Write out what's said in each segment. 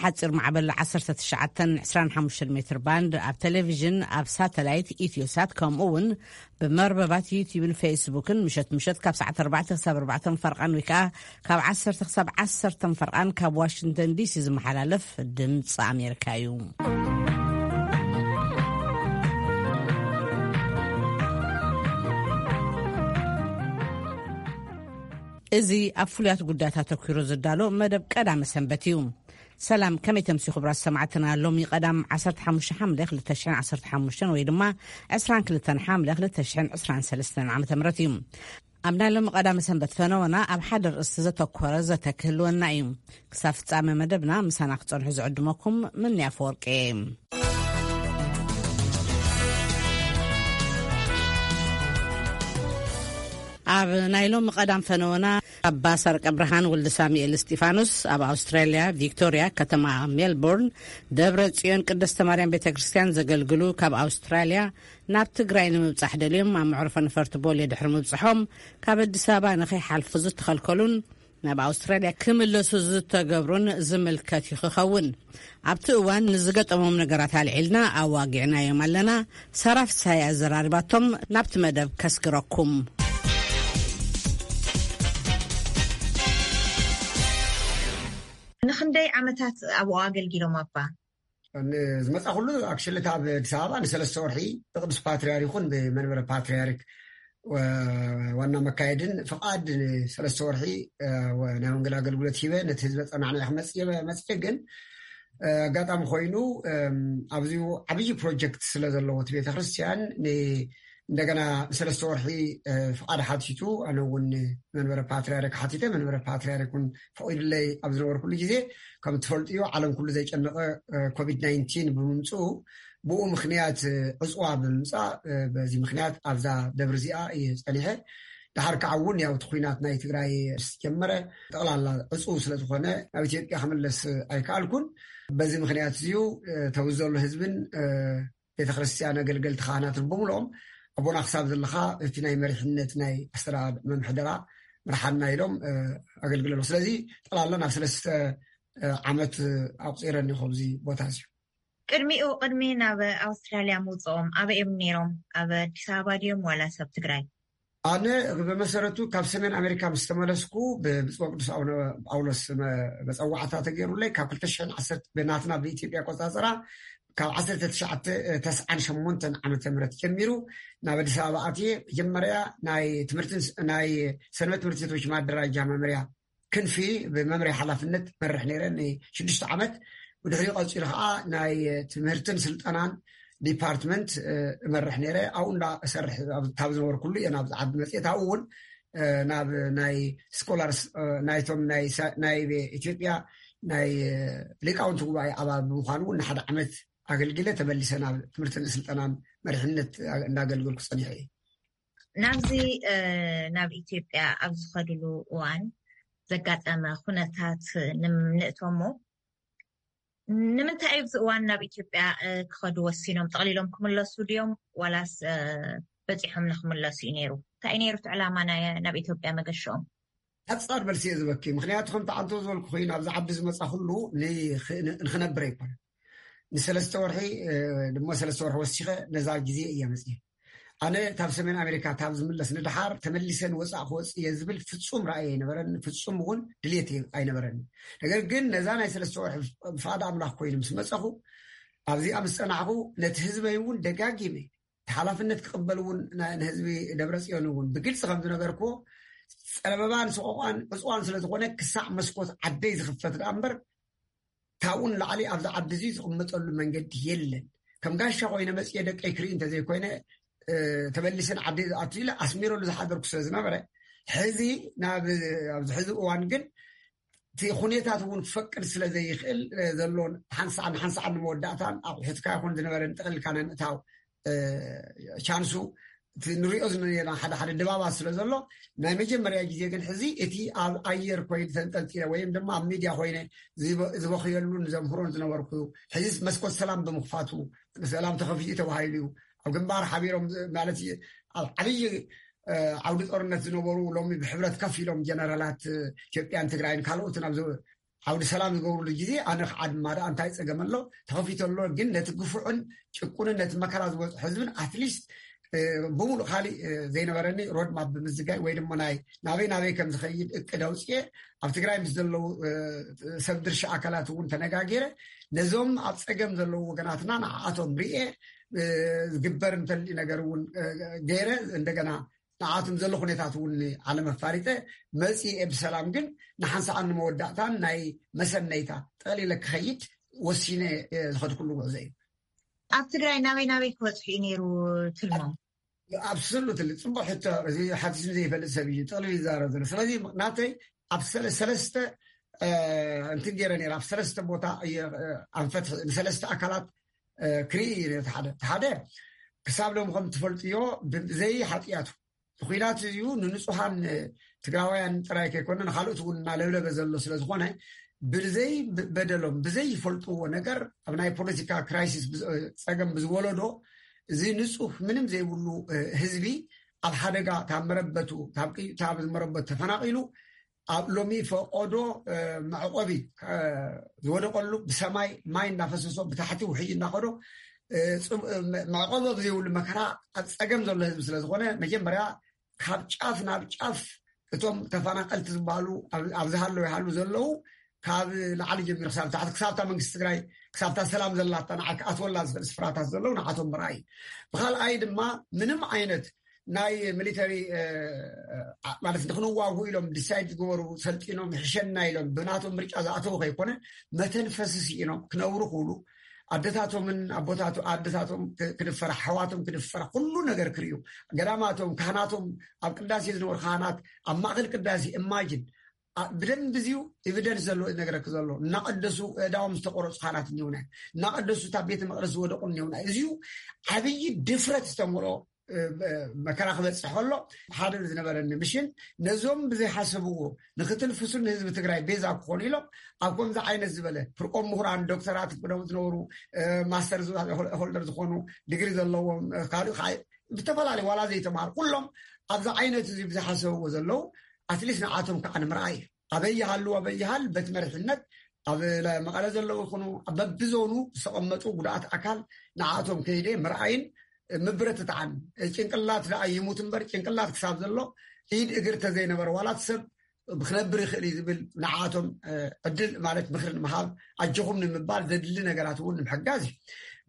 ሓፂር ማዕበል ዓሰርተ ትሽዓተ ዕስራን ሓሙሽተን ሜትር ባንድ፣ ኣብ ቴሌቪዥን፣ ኣብ ሳተላይት ኢትዮሳት፣ ከምኡ እውን ብመርበባት ዩቲዩብን ፌስቡክን ምሸት ምሸት ካብ ሰዓት ኣርባዕተ ክሳብ ኣርባዕተ ፈርቓን ወይ ከዓ ካብ ዓሰርተ ክሳብ ዓሰርተ ፈርቓን ካብ ዋሽንግተን ዲሲ ዝመሓላለፍ ድምፂ ኣሜሪካ እዩ። እዚ ኣብ ፍሉያት ጉዳያት ኣተኲሩ ዝዳሎ መደብ ቀዳመ ሰንበት እዩ። ሰላም፣ ከመይ ተምሲ ክቡራት ሰማዕትና? ሎሚ ቀዳም ዓሰርተ ሓሙሽተ ሓምለ ክልተ ሽሕን ዓሰርተ ሓሙሽተን ወይ ድማ ዕስራን ክልተን ሓምለ ክልተ ሽሕን ዕስራን ሰለስተን ዓመተ ምህረት እዩ። ኣብ ናይ ሎሚ ቀዳመ ሰንበት ፈነወና ኣብ ሓደ ርእስቲ ዘተኮረ ዘተ ክህልወና እዩ። ክሳብ ፍጻመ መደብና ምሳና ክጸንሑ ዝዕድመኩም ምንያ ፈወርቂ እየ። ኣብ ናይ ሎሚ ቀዳም ፈነወና ኣባ ሰርቀ ብርሃን ወልደ ሳሙኤል እስጢፋኖስ ኣብ ኣውስትራልያ ቪክቶርያ ከተማ ሜልቦርን ደብረ ጽዮን ቅድስተ ማርያም ቤተ ክርስቲያን ዘገልግሉ ካብ ኣውስትራልያ ናብ ትግራይ ንምብጻሕ ደልዮም ኣብ መዕርፎ ነፈርቲ ቦሌ ድሕሪ ምብጽሖም ካብ ኣዲስ ኣበባ ንኸይሓልፉ ዝተኸልከሉን ናብ ኣውስትራልያ ክምለሱ ዝተገብሩን ዝምልከት እዩ ክኸውን። ኣብቲ እዋን ንዝገጠሞም ነገራት ኣልዒልና ኣዋጊዕናዮም ኣለና። ሳራ ፍስሃየ ኣዘራሪባቶም። ናብቲ መደብ ከስግረኩም። ንኽንደይ ዓመታት ኣብኡ ኣገልጊሎም ኣባ? ንዝመጻ ኩሉ ኣክሽሊ ኣብ ኣዲስ ኣበባ ንሰለስተ ወርሒ ብቅዱስ ፓትርያርክ ይኹን ብመንበረ ፓትርያርክ ወ-፣ ዋና መካየድን ፍቓድ ንሰለስተ ወርሒ፣ እ፣ ወ-፣ ናይ ወንጌል ኣገልግሎት ሂበ ነቲ ህዝቢ ጸናዕና ክመጽእ መጽእ ግን፣ እ፣ ኣጋጣሚ ኮይኑ፣ እም፣ ኣብዚ ዓብዪ ፕሮጀክት ስለ ዘለዎ እቲ ቤተክርስትያን ን-፣ እንደገና ንሰለስተ ወርሒ፣ እ፣ ፍቓድ ሓቲቱ፣ ኣነ እውን መንበረ ፓትርያርክ ሓቲተ፣ መንበረ ፓትርያርክ እውን ፈቒዱለይ ኣብ ዝነበርኩሉ ግዜ፣ ከም ትፈልጥዮ ዓለም ኩሉ ዘይጨነቐ፣ እ፣ ኮቪድ ናይንቲን ብምምፅኡ፣ ብኡ ምኽንያት፣ እ፣ ዕፅዋ ብምምፃእ፣ እ፣ በዚ ምኽንያት ኣብዛ ደብሪ እዚኣ እየ ፀኒሐ። ድሓር ከዓ እውን ያው እቲ ኲናት ናይ ትግራይ ምስ ጀመረ ጠቕላላ ዕፁው ስለ ዝኾነ ናብ ኢትዮጵያ ክምለስ ኣይከኣልኩን። በዚ ምኽንያት እዚዩ፣ እ፣ ተብዚ ዘሎ ህዝብን፣ እ፣ ቤተ ክርስቲያን ኣገልገልቲ ካህናትን ብምልኦም ኣቦና ክሳብ ዘለኻ እቲ ናይ መሪሕነት ናይ ኣስተዳድ-፣ መምሕደራ ምርሓና ኢሎም፣ እ፣ ኣገልግለሉ። ስለዚ ጠቕላላ ናብ ሰለስተ፣ እ፣ ዓመት ኣቁፂረኒ ኣብዚ ቦታ እዚ። ቅድሚኡ፣ ቅድሚ ናብ ኣውስትራልያ ምውፅኦም ኣበይ እዮም ነይሮም? ኣብ ኣዲስ ኣበባ ድዮም ዋላስ ኣብ ትግራይ? ኣነ ብመሰረቱ ካብ ሰሜን ኣሜሪካ ምስ ተመለስኩ ብብፁዕ ቅዱስ ኣቡነ ጳውሎስ መ-፣ መፀዋዕታ ተገይሩለይ ካብ ክልተ ሽሕን ዓሰርተ ብናትና ብኢትዮጵያ ኣቆፃፅራ ካብ ዓሰርተ ትሽዓተ ተስዓን ሸሞንተን ዓመተ ምህረት ጀሚሩ ናብ ኣዲስ ኣበባ ኣትየ መጀመርያ ናይ ትምህርትን ስ-፣ ናይ ሰንበት ትምህርቲ ቤቶች ማደራጃ መምርያ ክንፊ ብመምርያ ሓላፍነት መርሕ ነይረ ንሽዱሽተ ዓመት። ብድሕሪኡ ቀፂሉ ከዓ ናይ ትምህርትን ስልጠናን ዲፓርትመንት፣ እ፣ እመርሕ ነይረ። ኣብኡ እንዳ እሰርሕ ኣብ፣ ካብ ዝነበርኩሉ እየ ናብዚ ዓዲ መፅኤ። ኣብኡ እውን፣ እ፣ ናብ ናይ ስኮላርስ፣ እ፣ ናይቶም ናይ ሳ-፣ ናይ ኢትዮጵያ ናይ፣ እ፣ ሊቃውንቲ ጉባኤ ኣባል ብምዃኑ እውን ንሓደ ዓመት ኣገልግለ ተመሊሰ ናብ ትምህርትን ስልጠናን መሪሕነት እንዳገልገልኩ ጸኒሐ እየ። ናብዚ፣ እ፣ ናብ ኢትዮጵያ ኣብ ዝኸድሉ እዋን ዘጋጠመ ኩነታት ንም-፣ ንእቶሞ፣ ንምንታይ እዩ ኣብዚ እዋን ናብ ኢትዮጵያ፣ እ፣ ክኸዱ ወሲኖም? ጠቕሊሎም ክምለሱ ድዮም ዋላስ፣ እ፣ በጺሖም ንክምለሱ እዩ ነይሩ? እንታይ እዩ ነይሩ እቲ ዕላማ ናይ ናብ ኢትዮጵያ መገሽኦም? ሓጻር መልሲ እየ ዝበኪ። ምኽንያቱ ከምቲ ዓንቶ ዝበልኩ ኮይኑ ኣብዚ ዓዲ ዝመጻ ኩሉ ንኽ-፣ ንኽነብር ኣይኮነን። ንሰለስተ ወርሒ፣ እ፣ ድማ ሰለስተ ወርሒ ወሲኸ ነዛ ግዜ እየ መጽየ። ኣነ ካብ ሰሜን ኣሜሪካ ካብ ዝምለስ ንድሓር ተመሊሰ ንወጻእ ክወጽእ እየ ዝብል ፍጹም ራእይ ኣይነበረኒ፣ ፍጹም እውን ድሌት ኣይነበረኒ። ነገር ግን ነዛ ናይ ሰለስተ ወርሒ ብፍቓድ ኣምላኽ ኮይኑ ምስ መጸኹ፣ ኣብዚኣ ምስ ጸናዕኹ፣ ነቲ ህዝበይ እውን ደጋጊመ እቲ ሓላፍነት ክቕበል እውን ና-፣ ንህዝቢ ደብረ ጽዮን እውን ብግልጺ ከም ዝነገርክዎ፣ ጸበባን ሰቆቋን ዕጽዋን ስለ ዝኾነ፣ ክሳዕ መስኮት ዓደይ ዝኽፈት ደኣ እምበር፣ ካብኡ ንላዕሊ ኣብዚ ዓዲ እዚ ዝቕመጠሉ መንገዲ የለን። ከም ጋሻ ኮይነ መጽየ ደቀይ ክርኢ እንተዘይኮይነ፣ እ፣ ተመሊሰ ንዓደይ ዝኣቱ ኢለ ኣስሚረሉ ዝሓደርኩ ስለ ዝነበረ፣ ሕዚ ናብ፣ ኣብዚ ሕዚ እዋን ግን እቲ ኩነታት እውን ክፈቅድ ስለ ዘይኽእል፣ እ፣ ዘሎ ሓንሳዕን ሓንሳዕን ንመወዳእታን ኣቑሑትካ ይኹን ዝነበረ ንጠቕልልካ ናይ ምእታው፣ እ፣ ቻንሱ እቲ ንሪኦ ዝነበርና ሓደ ሓደ ድባባት ስለ ዘሎ፣ ናይ መጀመርያ ግዜ ግን ሕዚ እቲ ኣብ ኣየር ኮይነ ተንጠልጢለ ወይም ድማ ኣብ ሚድያ ኮይነ ዝበ-፣ ዝበኽየሉን ዘምህሮን ዝነበርኩ፣ ሕዚ መስኮት ሰላም ብምኽፋቱ፣ ሰላም ተኸፊቱ ተባሂሉ እዩ። ኣብ ግንባር ሓቢሮም ዝ-፣ ማለት እዩ፣ ኣብ ዓብዪ፣ እ፣ ዓውዲ ጦርነት ዝነበሩ ሎሚ ብሕብረት ከፍ ኢሎም ጀነራላት፣ እ፣ ኢትዮጵያን ትግራይን ካልኦትን ኣብ ዝ-፣ ዓውዲ ሰላም ዝገብሩሉ ግዜ ኣነ ከዓ ድማ ደኣ እንታይ ፀገም ኣሎ ተኸፊቱ ኣሎ። ግን ነቲ ግፉዕን ጭቁንን ነቲ መከራ ዝበፅሖ ህዝብን ኣትሊስት ብምሉእ ካሊእ ዘይነበረኒ ሮድማፕ ብምዝጋይ ወይ ድማ ናይ ናበይ ናበይ ከም ዝኸይድ እቅድ ኣውፅኤ ኣብ ትግራይ ምስ ዘለዉ ሰብ ድርሻ ኣካላት እውን ተነጋጊረ ነዞም ኣብ ፀገም ዘለዉ ወገናትና ንዓኣቶም ርኤ ዝግበር እንተልዩ ነገር እውን ገይረ እንደገና ንዓኣቶም ዘሎ ኩነታት እውን ዓለም ኣፋሪጠ መፂኤ ብሰላም ግን ንሓንሳኣን ንመወዳእታን ናይ መሰነይታ ጠቕሊለ ክኸይድ ወሲነ ዝኸድኩሉ ጉዕዞ እዩ። ኣብ ትግራይ ናበይ ናበይ ክበፅሑ እዩ ነይሩ ትልሞም? ኣብሶሉትሊ ፅቡቅ ሕቶ። እዚ ሓቲቱ ዘይፈልጥ ሰብ እዩ ጠቕሊሉ ይዛረብ ዘሎ። ስለዚ ናተይ ኣብ ሰለስተ እንትን ገይረ ነይረ ኣብ ሰለስተ ቦታ ኣንፈት ንሰለስተ ኣካላት ክርኢ እዩ። ሓደ ሓደ ክሳብ ሎም ከም ትፈልጥዮ ብዘይ ሓጥያቱ ብኩናት እዩ ንንፁሃን ትግራውያን ጥራይ ከይኮነ ንካልኦት እውን እናለብለበ ዘሎ ስለዝኮነ ብዘይ በደሎም ብዘይ ይፈልጥዎ ነገር ኣብ ናይ ፖለቲካ ክራይሲስ ፀገም ብዝወለዶ እዚ ንፁህ ምንም ዘይብሉ ህዝቢ ኣብ ሓደጋ ካብ መረበቱ ካብ ዝመረበቱ ተፈናቂሉ ኣብ ሎሚ ፈቆዶ መዕቆቢ ዝወደቀሉ ብሰማይ ማይ እናፈሰሶ ብታሕቲ ውሕጅ እናኸዶ መዕቆቢ ዘይብሉ መከራ ኣብ ፀገም ዘሎ ህዝቢ ስለዝኮነ መጀመርያ ካብ ጫፍ ናብ ጫፍ እቶም ተፈናቀልቲ ዝበሃሉ ኣብዝሃለዉ ይሃሉ ዘለዉ ካብ ላዕሊ ጀሚሩ ክሳብ ታሕቲ ክሳብታ መንግስቲ ትግራይ ክሳብታ ሰላም ዘላታ ንዓ ክኣትወላ ዝኽእል ስፍራታት ዘለዉ ንዓቶም ምርኣይ። ብካልኣይ ድማ ምንም ዓይነት ናይ ሚሊተሪ ማለት ንክንዋጉ ኢሎም ዲሳይድ ዝገበሩ ሰልጢኖም ይሕሸና ኢሎም ብናቶም ምርጫ ዝኣተዉ ከይኮነ መተንፈሲ ስኢኖም ክነብሩ ክብሉ ኣደታቶምን ኣቦታቱ ኣደታቶም ክድፈራ ሓዋቶም ክድፈራ ኩሉ ነገር ክርእዩ ገዳማቶም ካህናቶም ኣብ ቅዳሴ ዝነበሩ ካህናት ኣብ ማእከል ቅዳሴ እማጅን ብደንብ እዚዩ ኤቪደንስ ዘለዎ ዝነገረክ ዘሎ እናቀደሱ እዳዎም ዝተቆረፁ ካህናት እኒውና እናቀደሱ እታ ቤተ መቅደስ ዝወደቁ እኒውና እዚዩ ዓብዪ ድፍረት ዝተመልኦ መከራ ክበፅሕ ከሎ ሓደ ዝነበረኒ ምሽን ነዞም ብዘይሓሰብዎ ንክትንፍሱ ንህዝቢ ትግራይ ቤዛ ክኾኑ ኢሎም ኣብ ከምዚ ዓይነት ዝበለ ፍርቆም ምሁራን ዶክተራት ቅደም ዝነበሩ ማስተር ሆልደር ዝኾኑ ዲግሪ ዘለዎም ካልእ ብተፈላለዩ ዋላ ዘይተማሃሩ ኩሎም ኣብዚ ዓይነት እዚ ብዝሓሰብዎ ዘለዉ ኣትሊስት ንዓቶም ከዓ ንምርኣይ ኣበይ ይሃሉ ኣበይ ይሃል በቲ መሪሕነት ኣብ መቐለ ዘለዉ ይኹኑ ኣብ በብዞኑ ዝተቐመጡ ጉድኣት ኣካል ንዓቶም ከይደ ምርኣይን ምብርትታዕን ጭንቅላት ደኣ ይሙት እምበር ጭንቅላት ክሳብ ዘሎ ኢድ እግር ተዘይነበረ ዋላት ሰብ ክነብር ይኽእል እዩ ዝብል ንዓቶም ዕድል ማለት ምክሪ ንምሃብ ኣጆኹም ንምባል ዘድሊ ነገራት እውን ንምሕጋዝ እዩ።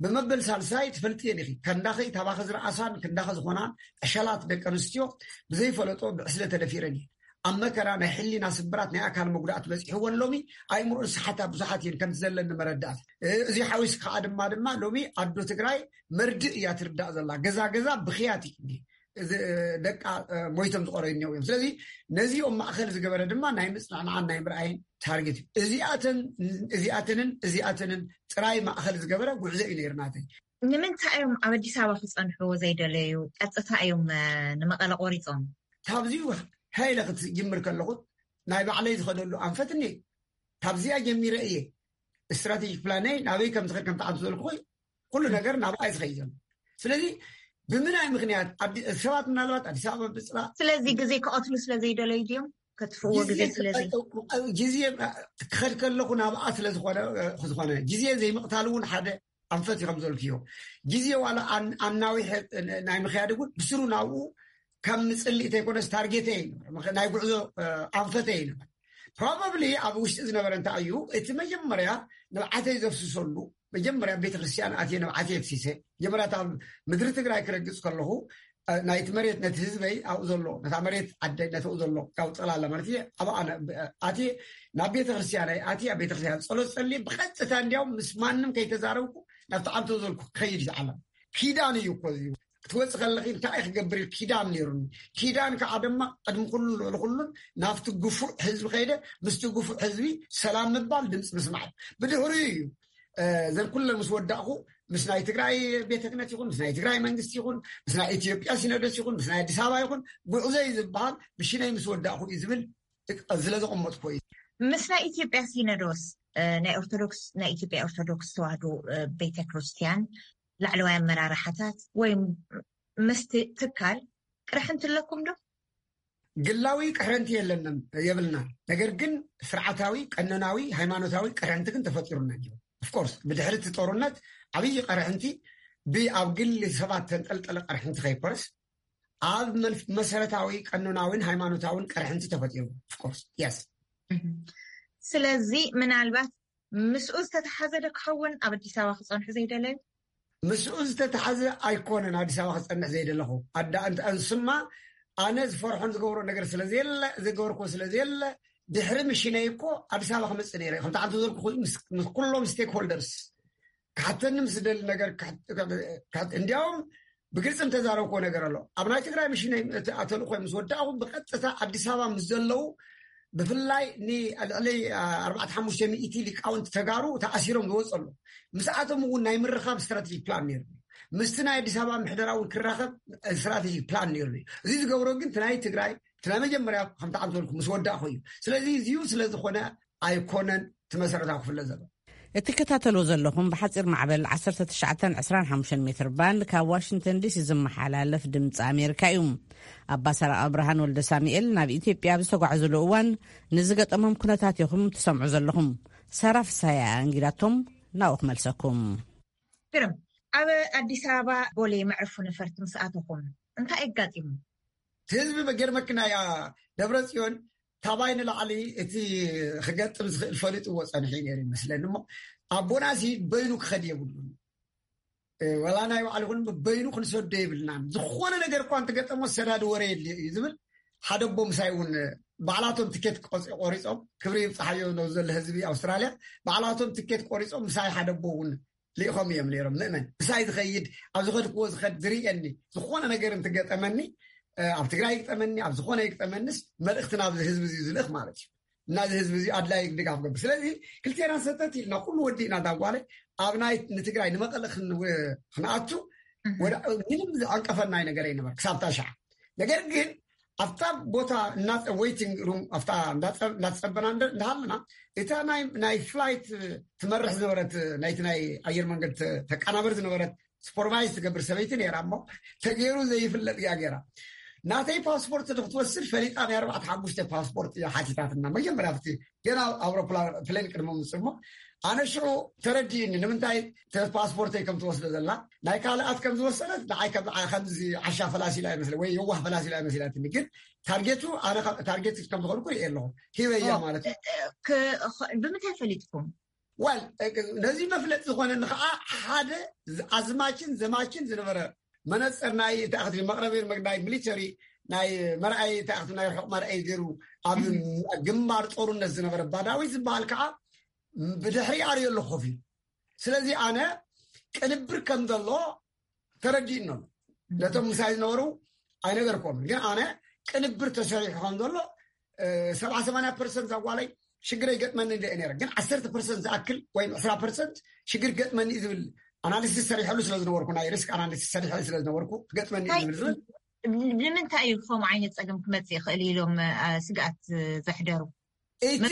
ብመበል ሳልሳይ ትፈልጥየን ኢኺ ከንዳኺ ታባኺ ዝረኣሳን ክንዳኺ ዝኾናን ዕሸላት ደቂ ኣንስትዮ ብዘይፈለጦ ብዕስለ ተደፊረን እየን። ኣብ መከራ ናይ ሕሊና ስብራት ናይ ኣካል መጉዳእቲ በፂሕወን ሎሚ ኣይምሮን ሰሓታ ብዙሓት እየን ከምቲ ዘለኒ መረዳእቲ እዚ ሓዊስ ከዓ ድማ ድማ ሎሚ ኣዶ ትግራይ መርድእ እያ ትርዳእ ዘላ ገዛ ገዛ ብክያት እዩ ደቃ ሞይቶም ዝቆረዩ እኒው እዮም ስለዚ ነዚኦም ማእኸል ዝገበረ ድማ ናይ ምፅናዕናዓን ናይ ምርኣይን ታርጌት እዩ እዚኣተን እዚኣተንን እዚኣተንን ጥራይ ማእኸል ዝገበረ ጉዕዞ እዩ ነይሩ ናተይ። ንምንታይ እዮም ኣብ ኣዲስ ኣበባ ክፀንሑ ዘይደለዩ ቀጥታ እዮም ንመቐለ ቆሪፆም? ካብዚ ሃይለ ክትጅምር ከለኹ ናይ ባዕለይ ዝኸደሉ ኣንፈት እኒ ካብዚኣ ጀሚረ እየ ስትራቴጂክ ፕላነይ ናበይ ከም ዝኸድ ከም ተዓንቱ ዘልኩ ኩሉ ነገር ናብኣ እዩ ዝኸይድ ዘሎ። ስለዚ ብምናይ ምክንያት ሰባት ምናልባት ኣዲስ ኣበባ ብፅላ ስለዚ ግዜ ክቐትሉ ስለዘይደለዩ ድዮም ከጥፍእዎ ግዜ ስለዚ ግዜ ክኸድ ከለኹ ናብኣ ስለዝኾነ ዝኾነ ግዜ ዘይምቕታል እውን ሓደ ኣንፈት እዩ ከምዘልክዮ ግዜ ዋላ ኣናዊሐ ናይ ምክያድ እውን ብስሩ ናብኡ ከም ምፅሊእ ተይኮነስ ታርጌተ ይንበር ናይ ጉዕዞ ኣንፈተ ይንበር ፕሮባብሊ ኣብ ውሽጢ ዝነበረ እንታይ እዩ እቲ መጀመርያ ንብዓተይ ዘፍስሰሉ መጀመርያ ቤተክርስትያን ኣትየ ንብዓተይ ኣፍሲሰ መጀመርያ ኣብ ምድሪ ትግራይ ክረግፅ ከለኹ ናይቲ መሬት ነቲ ህዝበይ ኣብኡ ዘሎ ነታ መሬት ዓደይ ነተኡ ዘሎ ካብ ፀላለ ማለት እዩ ኣብ ኣነ ኣትየ ናብ ቤተክርስትያናይ ኣትየ ኣብ ቤተክርስትያን ፀሎት ፀልየ ብቀጥታ እንዲያውም ምስ ማንም ከይተዛረብኩ ናብቲ ዓንቶ ዘልኩ ክኸይድ ይዓለም ኪዳን እዩ እኮ ክትወፅእ ከለኺ እንታይ ክገብር ኪዳን ነይሩኒ ኪዳን ከዓ ድማ ቅድሚ ኩሉ ልዕሊ ኩሉን ናብቲ ግፉዕ ህዝቢ ከይደ ምስቲ ግፉዕ ህዝቢ ሰላም ምባል ድምፂ ምስማዕ ብድሕሪኡ እዩ ዘን ኩለን ምስ ወዳእኩ ምስ ናይ ትግራይ ቤተ ክህነት ይኹን ምስ ናይ ትግራይ መንግስቲ ይኹን ምስ ናይ ኢትዮጵያ ሲኖዶስ ይኹን ምስ ናይ ኣዲስ ኣበባ ይኹን ጉዕዞ እዩ ዝበሃል ብሽነይ ምስ ወዳእኩ እዩ ዝብል ስለ ዘቐመጥኩ እዩ። ምስ ናይ ኢትዮጵያ ሲኖዶስ ናይ ኦርቶዶክስ ናይ ኢትዮጵያ ኦርቶዶክስ ተዋህዶ ቤተ ክርስቲያን ላዕለዋይ ኣመራርሓታት ወይ ምስቲ ትካል ቅርሕንቲ ኣለኩም ዶ? ግላዊ ቅሕረንቲ የለንም፣ የብልና። ነገር ግን ስርዓታዊ፣ ቀኖናዊ፣ ሃይማኖታዊ ቅሕረንቲ ግን ተፈጢሩና እዩ። ኦፍኮርስ ብድሕሪ እቲ ጦርነት ዓብዪ ቅርሕንቲ፣ ብኣብ ግሊ ሰባት ተንጠልጠለ ቅርሕንቲ ከይኮነስ፣ ኣብ መን- መሰረታዊ ቀኖናዊን ሃይማኖታዊን ቅርሕንቲ ተፈጢሩ። ኦፍኮርስ የስ። ስለዚ ምናልባት ምስኡ ዝተተሓዘ ዶ ክኸውን ኣብ ኣዲስ ኣበባ ክፀንሑ ዘይደለዩ? ምስኡ ዝተተሓዘ ኣይኮነን ኣዲስ ኣበባ ክፀንሕ ዘይደለኹ። ኣዳ እንተ እንስማ፣ ኣነ ዝፈርሖን ዝገብሮ ነገር ስለዘየለ፣ ዝገበርኩ ስለዘየለ፣ ድሕሪ ምሽነይ እኮ ኣዲስ ኣበባ ክመፅእ ነይረ። ከምቲ ዓንተ ዘልኩ ምስ ምስ ኩሎም ስቴክ ሆልደርስ ክሓተኒ ምስ ዝደሊ ነገር ክሕ- ክሕ- እንዲያውም ብግልፂ እንተዛረብኩዎ ነገር ኣሎ። ኣብ ናይ ትግራይ ምሽነይ እቲ ተልእኮ ምስ ወዳእኹ፣ ብቐጥታ ኣዲስ ኣበባ ምስ ዘለዉ፣ ብፍላይ ንልዕሊ ኣርባዕተ ሓሙሽተ ሚእቲ ሊቃውንቲ ተጋሩ ተኣሲሮም ዝወፁ ኣለዉ። ምስኣቶም እውን ናይ ምርኻብ ስትራቴጂክ ፕላን ነይሩ። ምስቲ ናይ ኣዲስ ኣበባ ምሕደራ እውን ክራኸብ ስትራቴጂክ ፕላን ነይሩ። እዚ ዝገብሮ ግን እቲ ናይ ትግራይ፣ እቲ ናይ መጀመርያ፣ ከምቲ ዓንተ በልኩ፣ ምስ ወዳእኹ እዩ። ስለዚ እዚዩ ስለ ዝኾነ ኣይኮነን እቲ መሰረታዊ ክፍለ ዘሎ። እትከታተልዎ ዘለኹም ብሓፂር ማዕበል ዓሰርተ ትሽዓተን ዕስራን ሓሙሽተን ሜትር ባንድ ካብ ዋሽንግተን ዲሲ ዝመሓላለፍ ድምፂ ኣሜሪካ እዩ። ኣባ ሰረቐ ብርሃን ወልደ ሳሙኤል ናብ ኢትዮጵያ ኣብ ዝተጓዕዙሉ እዋን ንዝገጠሞም ኩነታት ኢኹም ትሰምዑ ዘለኹም። ሰራ ፍሳያ እንጊዳቶም ናብኡ ክመልሰኩም። ግርም፣ ኣብ ኣዲስ ኣበባ ቦሌ መዕርፎ ነፈርቲ ምስ ኣተኹም እንታይ ኣጋጢሙ? ህዝቢ በገርመክና ያ ደብረ ጽዮን ታባይ ንላዕሊ እቲ ክገጥም ዝኽእል ፈሊጥዎ ጸኒሑ እዩ ነይሩ ይመስለኒ። እሞ ኣቦናሲ በይኑ ክኸድ የብሉን። እ፣ ወላ ናይ ባዕሉ ይኹን በይኑ ክንሰዶ የብልናን። ዝኾነ ነገር እኳ እንትገጠሞ ሰዳዲ ወረ የድልዮ እዩ ዝብል ሓደ ኣቦ ምሳይ እውን ባዕላቶም ትኬት ቆጽ- ቆሪጾም፣ ክብሪ ይብጽሓዮ ነው ዘሎ ህዝቢ ኣውስትራልያ፣ ባዕላቶም ትኬት ቆሪጾም ምሳይ ሓደ ኣቦ እውን ልኢኾም እዮም ነይሮም። ምእመን ምሳይ ዝኸይድ፣ ኣብ ዝኸድክዎ ዝኸድ ዝርእየኒ፣ ዝኾነ ነገር እንትገጠመኒ፣ እ፣ ኣብ ትግራይ ይግጠመኒ፣ ኣብ ዝኾነ ይግጠመንስ፣ መልእኽቲ ናብዚ ህዝቢ እዚ ዝልእኽ ማለት እዩ። ናዚ ህዝቢ እዚ ኣድላይ ድጋፍ ገብር። ስለዚ ክልቴና ሰተት ኢልና ኩሉ ወዲእና፣ ዳጓለ ኣብ ናይ ንትግራይ ንመቐለ ክን- ክንኣቱ፣ ወደ ምንም ዝዓንቀፈናይ ነገር ኣይነበረ ክሳብ ታሽዓ። ነገር ግን ኣብታ ቦታ እናፀ- ዌይቲንግ ሩም፣ ኣብታ እንዳፀ- እንዳተፀበና እንደ- እንዳሃለና፣ እታ ናይ ናይ ፍላይት ትመርሕ ዝነበረት፣ ናይቲ ናይ ኣየር መንገድ ተ- ተቀናበር ዝነበረት፣ ሱፐርቫይዝ ትገብር ሰበይቲ ነይራ። እሞ ተገይሩ ዘይፍለጥ እያ ገይራ። ናተይ ፓስፖርት ክትወስድ ፈሊጣ፣ ናይ ኣርባዕተ ሓሙሽተ ፓስፖርት እያ ሓቲታትና መጀመርያ፣ ኣብቲ ገና ኣውሮፕላን ፕሌን ቅድሚ ምፅእ። እሞ ኣነ ሽዑ ተረዲእኒ ንምንታይ ተ- ፓስፖርተይ ከም ትወስዶ ዘላ። ናይ ካልኣት ከም ዝወሰደት ንዓይ ከም ንዓ- ከምዚ ዓሻ ፈላሲላ ይመስለ ወይ የዋህ ፈላሲላ ይመስላትኒ። ግን ታርጌቱ፣ ኣነ ካብ- ታርጌት ከም ዝኾንኩ ርኢ ኣለኹ። ሂበያ ማለት እዩ። ክ- ኸ- ብምንታይ ፈሊጥኩም? ዋል፣ ነዚ መፍለጥ ዝኾነኒ ከዓ ሓደ ኣዝማችን ዘማችን ዝነበረ መነፅር ናይ ተኣክቲ መቅረቢ ናይ ሚሊተሪ ናይ መርኣይ ተኣክቲ ናይ ርሑቕ መርኣይ ገይሩ ኣብ ግንባር ጦርነት ዝነበረ ባዳዊ ዝበሃል ከዓ ብድሕሪ ኣርዮ ኣሎ ኮፍ ኢሉ። ስለዚ ኣነ ቅንብር ከም ዘሎ ተረዲእኖም ነቶም ምሳይ ዝነበሩ ኣይነገርኮምን። ግን ኣነ ቅንብር ተሰሪሑ ከም ዘሎ ሰብዓ ሰማንያ ፐርሰንት ኣጓለይ ሽግር ይገጥመኒ እንደ ነረ። ግን ዓሰርተ ፐርሰንት ዝኣክል ወይ ዕስራ ፐርሰንት ሽግር ገጥመኒ እዩ ዝብል ኣናሊሲስ ሰሪሐሉ ስለ ዝነበርኩ፣ ናይ ሪስክ ኣናሊሲስ ሰሪሐ ስለ ዝነበርኩ፣ ገጥመኒ እዩ ዝብል ዝብል ንምንታይ እዩ ከምኡ ዓይነት ፀገም ክመፅእ ይኽእል ኢሎም ስግኣት ዘሕደሩ? እቲ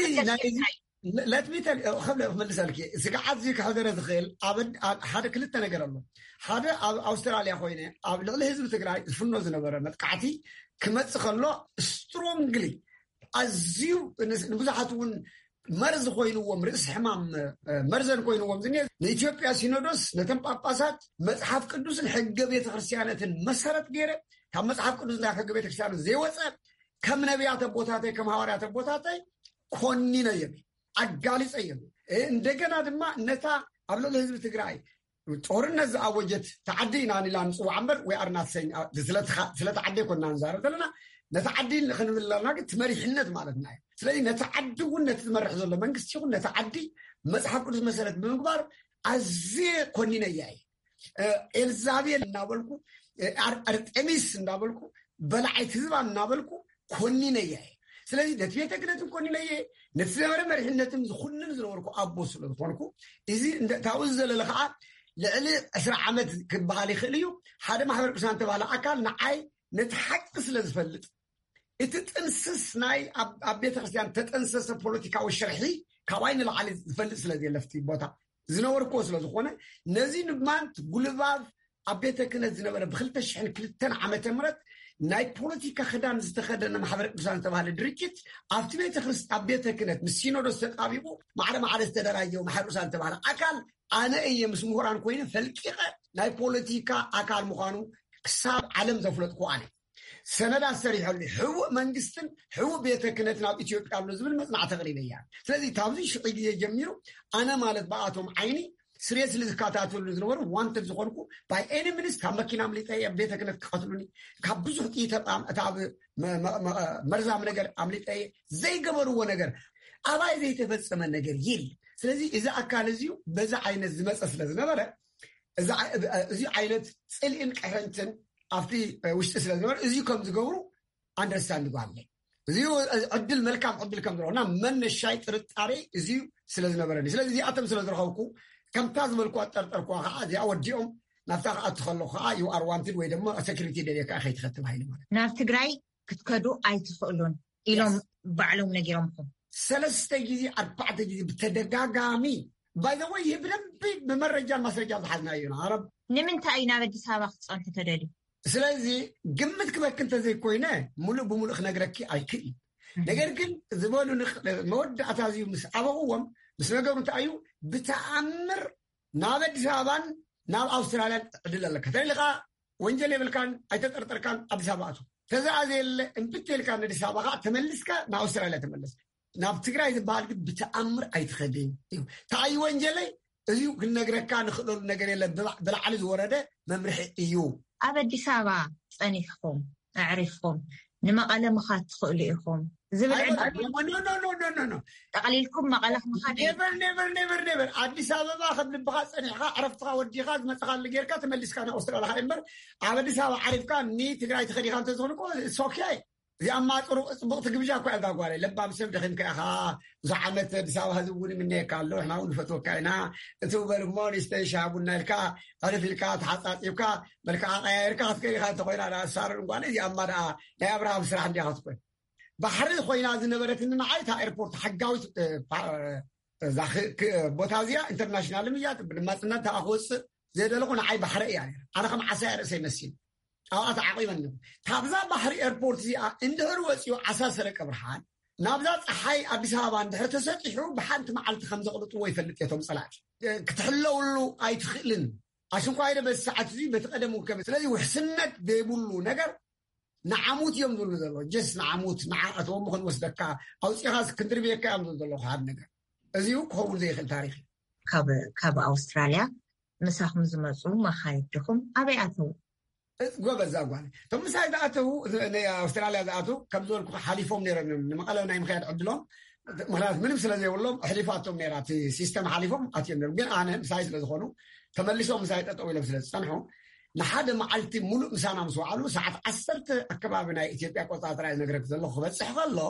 ለትሚተል ከብለ ክመልሰልኪ፣ ስግዓት እዚ ክሕደረ ዝኽእል ኣብ ሓደ ክልተ ነገር ኣሎ። ሓደ ኣብ ኣውስትራልያ ኮይነ ኣብ ልዕሊ ህዝቢ ትግራይ ዝፍኖ ዝነበረ መጥቃዕቲ ክመፅእ ከሎ ስትሮንግሊ ኣዝዩ ንብዙሓት እውን መርዚ ኮይንዎም፣ ርእሲ ሕማም መርዘን ኮይንዎም ዝኒ ንኢትዮጵያ ሲኖዶስ ነተን ጳጳሳት መፅሓፍ ቅዱስን ሕገ ቤተክርስትያነትን መሰረት ገይረ ካብ መፅሓፍ ቅዱስ ናይ ሕገ ቤተክርስትያነት ዘይወፀ ከም ነቢያት ኣቦታተይ ከም ሃዋርያት ኣቦታተይ ኮኒነዮም፣ ኣጋሊፀዮም። እንደገና ድማ ነታ ኣብ ልዕሊ ህዝቢ ትግራይ ጦርነት ዝኣወጀት ተዓዲ ኢና ንላ ንፅዋዕ እምበር ወይ ኣርናት ሰኝ ስለተዓዲ ኮና ንዛረብ ዘለና ነቲ ዓዲ ክንብል ኣለና። ግን እቲ መሪሕነት ማለትና እዩ። ስለዚ ነቲ ዓዲ እውን ነቲ ዝመርሕ ዘሎ መንግስቲ ይኹን ነቲ ዓዲ መፅሓፍ ቅዱስ መሰረት ብምግባር ኣዝየ ኮኒነያ እየ። ኤልዛቤል እናበልኩ፣ ኣርጤሚስ እናበልኩ፣ በላዓይቲ ህዝባ እናበልኩ ኮኒነያ እየ። ስለዚ ነቲ ቤተ ክህነትን ኮኒነየ፣ ነቲ ዝነበረ መሪሕነትን ዝኹንን ዝነበርኩ ኣቦ ስለ ዝኾንኩ፣ እዚ ካብኡ ዝዘለለ ከዓ ልዕሊ ዕስራ ዓመት ክበሃል ይኽእል እዩ፣ ሓደ ማሕበር ቅዱሳን ተባሃለ ኣካል ንዓይ ነቲ ሓቂ ስለ ዝፈልጥ፣ እቲ ጥንስስ ናይ ኣብ ቤተክርስትያን ተጠንሰሰ ፖለቲካዊ ሽርሒ ካባይ ንላዕሊ ዝፈልጥ ስለ ዘየለፍቲ ቦታ ዝነበርኩዎ ስለ ዝኾነ፣ ነዚ ድማ ጉልባብ ኣብ ቤተ ክህነት ዝነበረ ብክልተ ሽሕን ክልተን ዓመተ ምህረት ናይ ፖለቲካ ክዳን ዝተኸደነ ማሕበረ ቅዱሳን ዝተባሃለ ድርጅት ኣብቲ ቤተክርስ ኣብ ቤተ ክህነት ምስ ሲኖዶስ ተጣቢቑ ማዕረ ማዕረ ዝተደራጀው ማሕበረ ቅዱሳን ዝተባሃለ ኣካል ኣነ እየ ምስ ምሁራን ኮይነ ፈልቂቐ ናይ ፖለቲካ ኣካል ምዃኑ ክሳብ ዓለም ዘፍለጥኩ ኣነ። ሰነዳት ሰሪሐሉ፣ ሕቡእ መንግስትን ሕቡእ ቤተ ክህነትን ኣብ ኢትዮጵያ ኣሎ ዝብል መጽናዕቲ ኣቕሪበ እያ። ስለዚ ካብዚ ሽዑ ግዜ ጀሚሩ ኣነ ማለት ብኣቶም ዓይኒ ስሬስ ዝከታተሉ ዝነበሩ ዋንተድ ዝኾንኩ ባይ ኤኒ ሚንስ ካብ መኪና ኣምሊጠ እየ፣ ቤተ ክህነት ክቐትሉኒ፣ ካብ ብዙሕ ጥይት ኣብ- እታ ኣብ መ- መ- መ- መርዛም ነገር ኣምሊጠ እየ። ዘይገበርዎ ነገር ኣባይ ዘይተፈጸመ ነገር የለ። ስለዚ እዚ ኣካል እዚዩ በዛ ዓይነት ዝመጸ ስለ ዝነበረ እዚ ዓ- እዚ ዓይነት ጽልኢን ቅሕንትን ኣብቲ ውሽጢ ስለ ዝነበረ እዚ ከም ዝገብሩ ኣንደርስታንድ ጓለ እዚ ዕድል መልካም ዕድል ከም ዝረኹና መነሻይ ጥርጣሬ እዚ ስለ ዝነበረኒ ስለዚ እዚኣቶም ስለ ዝረኸብኩ ከምታ ዝበልኩ ኣጠርጠርኩዋ ከዓ እዚኣ ወዲኦም ናብታ ክኣቱ ከለኹ ከዓ you are wanted ወይ ድማ ሴኩሪቲ ደልየካ ከይትኸትል ሃይለ ማለት ናብ ትግራይ ክትከዱ ኣይትኽእሉን ኢሎም ባዕሎም ነጊሮምኩም ሰለስተ ግዜ ኣርባዕተ ግዜ ብተደጋጋሚ ባይዘወይ ይህ ብደንብ ብመረጃን ማስረጃን ዝሓዝናዮ ኢና ኣረብ ንምንታይ እዩ ናብ ኣዲስ ኣበባ ክትፀንሑ ተደልዩ ስለዚ ግምት ክበክ እንተዘይኮይነ ሙሉእ ብሙሉእ ክነግረኪ ኣይክእል ነገር ግን ዝበሉ መወዳእታ እዚ ምስ ኣበቕዎም ምስ ነገሩ እንታይ እዩ ብተኣምር ናብ ኣዲስ ኣበባን ናብ ኣውስትራልያን ዕድል ኣለካ ተለካ ወንጀል የብልካን ኣይተጠርጠርካን ኣዲስ ኣበባ ኣቱ ተዛኣ ዘየለ እንብት ኢልካ ንኣዲስ ኣበባ ከዓ ተመልስካ ንኣውስትራልያ ተመለስ ናብ ትግራይ ዝበሃል ግን ብተኣምር ኣይትኸድን እዩ ተኣይ ወንጀለይ እዚ ክንነግረካ ንኽእለሉ ነገር የለ ብላዕሊ ዝወረደ መምርሒ እዩ ኣብ ኣዲስ ኣበባ ፀኒሕኩም ኣዕሪፍኩም ንመቐለ ምኻድ ትኽእሉ ኢኹም ዝብል ጠቕሊልኩም መቐለ ምኻድ በር ኣዲስ ኣበባ ከም ልብኻ ፀኒሕካ ዕረፍትኻ ወዲኻ ዝመፅኻሉ ጌርካ ተመሊስካ ንኣውስትራልያ እምበር ኣብ ኣዲስ ኣበባ ዓሪፍካ ንትግራይ ትኸዲኻ እንተዝኾን እኮ ሶኪ እዚኣ ማጥሩ ፅቡቕቲ ግብዣ እኳ እዛ ጓለይ ለባም ሰብ ደኺምካ ኢኻ ብዙሕ ዓመት ኣዲስ ኣበባ ህዝቢ እውን ይምነየካ ኣሎ ንሕና እውን ንፈትወካ ኢና እቲ በል እሞ ንስተይ ሻሂ ቡና ኢልካ ዕርፍ ኢልካ ተሓፃፂብካ መልክዓ ቀያይርካ ክትከይድ ኢኻ እንተኮይና ደኣ ሳሮን ጓለይ እዚኣማ ደኣ ናይ ኣብርሃም ስራሕ እንዲያ ክትኮን ባሕሪ ኮይና ዝነበረትኒ ንዓይ እታ ኤርፖርት ሓጋዊት እዛ ቦታ እዚኣ ኢንተርናሽናል እያ ብድማፅነት ተኣ ክወፅእ ዘደለኹ ንዓይ ባሕረ እያ ኣነ ከም ዓሳ እያ ርእሰይ መሲል ኣብኣ ተዓቂበኒ ካብዛ ባሕሪ ኤርፖርት እዚኣ እንድሕር ወፂኡ ዓሳ ሰረቀ ብርሃን ናብዛ ፀሓይ ኣዲስ ኣበባ እንድሕር ተሰጢሑ ብሓንቲ መዓልቲ ከም ዘቕልጥዎ ይፈልጥ እየ እቶም ፀላእቲ ክትሕለውሉ ኣይትኽእልን ኣሽንኳ ኢለ በዚ ሰዓት እዚ በቲ ቀደም ውከበ ስለዚ ውሕስነት ዘይብሉ ነገር ንዓሙት እዮም ዝብሉ ዘሎ ጀስ ንዓሙት ንዓኣተዎም ክንወስደካ ኣውፂኻስ ክንድርብየካ እዮም ዝብሉ ዘለኹ ሓደ ነገር እዚ ክኸውን ዘይኽእል ታሪክ እዩ ካብ ኣውስትራልያ ምሳኹም ዝመፁ መኻይድኹም ኣበይ ኣተዉ ጎበዝ ዛጓል እቶም ምሳይ ዝኣተዉ ኣውስትራልያ ዝኣተዉ ከም ዝበልኩ ሓሊፎም ነይሮም እዮም ንመቐለ ናይ ምክያድ ዕድሎም ምክንያት ምንም ስለ ዘይብሎም ኣሕሊፋቶም ነራ እቲ ሲስተም ሓሊፎም ኣትዮም ነሩ ግን ኣነ ምሳይ ስለ ዝኾኑ ተመሊሶም ምሳይ ጠጠው ኢሎም ስለ ዝፀንሑ ንሓደ መዓልቲ ሙሉእ ምሳና ምስ ወዓሉ ሰዓት ዓሰርተ ኣከባቢ ናይ ኢትዮጵያ ቆፃፅራ ዝነግረክ ዘለኹ ክበፅሕ ከሎ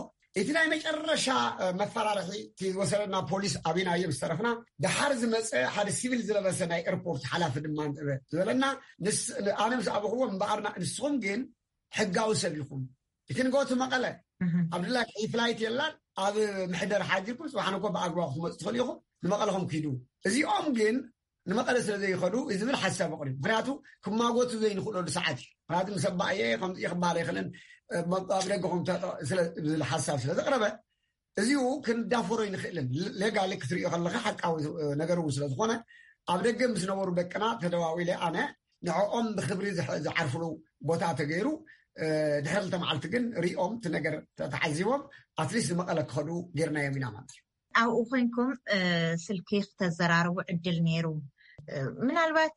እቲ ናይ መጨረሻ መፈራርሒ እቲ ዝወሰደና ፖሊስ ኣቢናዮ ምስ ተረፍና ደሓር ዝመፀ ሓደ ሲቪል ዝለበሰ ናይ ኤርፖርት ሓላፊ ድማ ዝበለና ኣነ ምስ ኣበኽዎ እምበኣርና ንስኹም ግን ሕጋዊ ሰብ ኢኹም እቲ ንገቱ መቐለ ኣብድላ ፍላይት የላን ኣብ ምሕደር ሓዲርኩም ፅባሕ ነኮ ብኣግባብ ክትመፁ ትኽእል ኢኹም ንመቐለኹም ክሂዱ እዚኦም ግን ንመቐለ ስለ ዘይኸዱ ዝብል ሓሳብ ኣቕሪቡ ምክንያቱ ክማጎቱ ዘይንኽእለሉ ሰዓት እዩ ምክንያቱ ምስ ኣባእየ ከምዚ ክበሃል ኣይኽእልን ኣብ ደገኹም ዝብል ሓሳብ ስለ ዘቕረበ እዚኡ ክንዳፈሮ ይንኽእልን ሌጋሊ ክትሪኦ ከለካ ሓቃዊ ነገር እውን ስለ ዝኾነ ኣብ ደገ ምስ ነበሩ ደቅና ተደዋዊለ ኣነ ንዕኦም ብክብሪ ዝዓርፍሉ ቦታ ተገይሩ ድሕሪ ክልተ መዓልቲ ግን ሪኦም እቲ ነገር ተዓዚቦም ኣትሊስት ንመቐለ ክኸዱ ጌርናዮም ኢና ማለት እዩ ኣብኡ ኮይንኩም ስልኪ ክተዘራርቡ ዕድል ነይሩ ምናልባት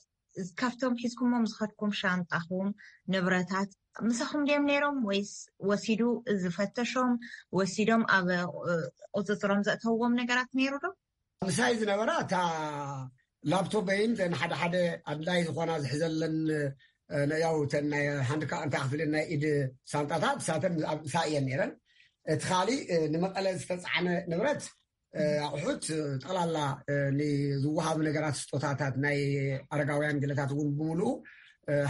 ካብቶም ሒዝኩሞም ዝኸድኩም ሻንጣኹም ንብረታት ምሳኹም ድዮም ነይሮም ወይስ ወሲዱ ዝፈተሾም ወሲዶም ኣብ ቁፅፅሮም ዘእተውዎም ነገራት ነይሩ ዶ ምሳይ ዝነበራ እታ ላፕቶበይን ተን ሓደ ሓደ ኣድላይ ዝኾና ዝሕዘለን ያው ተን ናይ ሓንቲ ከዓ እንታይ ክፍልን ናይ ኢድ ሳንጣታት ሳተን ኣብሳ እየን ነይረን እቲ ካሊእ ንመቐለ ዝተፃዕነ ንብረት ኣቑሑት ጠቕላላ ንዝወሃቡ ነገራት ስጦታታት ናይ ኣረጋውያን ገለታት እውን ብምሉኡ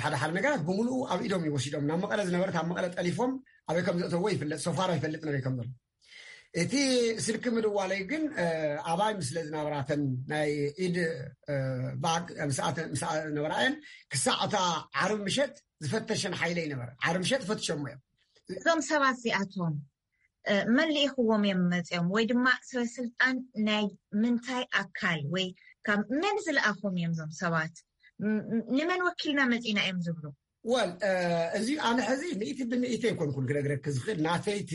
ሓደ ሓደ ነገራት ብምሉኡ ኣብ ኢዶም ይወሲዶም ናብ መቐለ ዝነበረት ኣብ መቐለ ጠሊፎም ኣበይ ከም ዘእተዎ ይፍለጥ ሶፋር ኣይፈልጥ ነበይ ከም ዘሎ እቲ ስልኪ ምድዋለይ ግን ኣባይ ምስለ ዝናብራተን ናይ ኢድ ባግ ምስኣ ዝነበራየን ክሳዕ እታ ዓርብ ምሸት ዝፈተሸን ሓይለይ ነበረ። ዓርብ ምሸት ፈትሸሞ እዮም። እዞም ሰባት እዚኣቶም መን ልኢኽዎም እዮም መፅኦም? ወይ ድማ ሰበ ስልጣን ናይ ምንታይ ኣካል ወይ ካብ መን ዝለኣኹም እዮም እዞም ሰባት? ንመን ወኪልና መፂና እዮም ዝብሉ? ወል እዚ ኣነ ሕዚ ሚእቲ ብሚእቲ ኣይኮንኩን ክነግረክ ዝኽእል ናተይቲ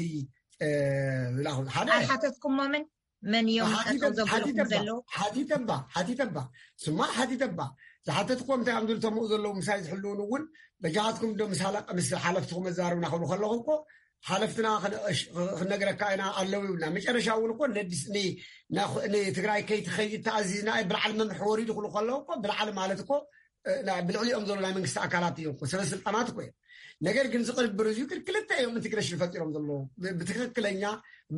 ዝላኹ ሓደ ኣይሓተትኩሞምን? መን እዮም ጠጠው ዘብልኩም ዘለዉ? ሓቲተባ ሓቲተባ ስማ ሓቲተባ ዝሓተትኩም እንታይ እዮም ዝብል ተምኡ ዘለዉ ምሳይ ዝሕልውን እውን በጃኻትኩም ዶ ምስ ሓለፍትኩም መዛርብና ክብሉ ከለኹ እኮ ሓለፍትና ክነግረካ ኢና ኣለዉ ይብልና። መጨረሻ እውን እኮ ንትግራይ ከይትኸይድ ተኣዚዝና ብልዓል መምሒ ወሪዱ ክብሉ ከለዉ እኮ ብልዓል ማለት እኮ ብልዕሊኦም ዘሎ ናይ መንግስቲ ኣካላት እዮም፣ ሰበ ስልጣናት እኮ እዮም። ነገር ግን ዝቕርብር እዚ ግን ክልተ እዮም ኢንቴግሬሽን ፈጢሮም ዘለዉ ብትክክለኛ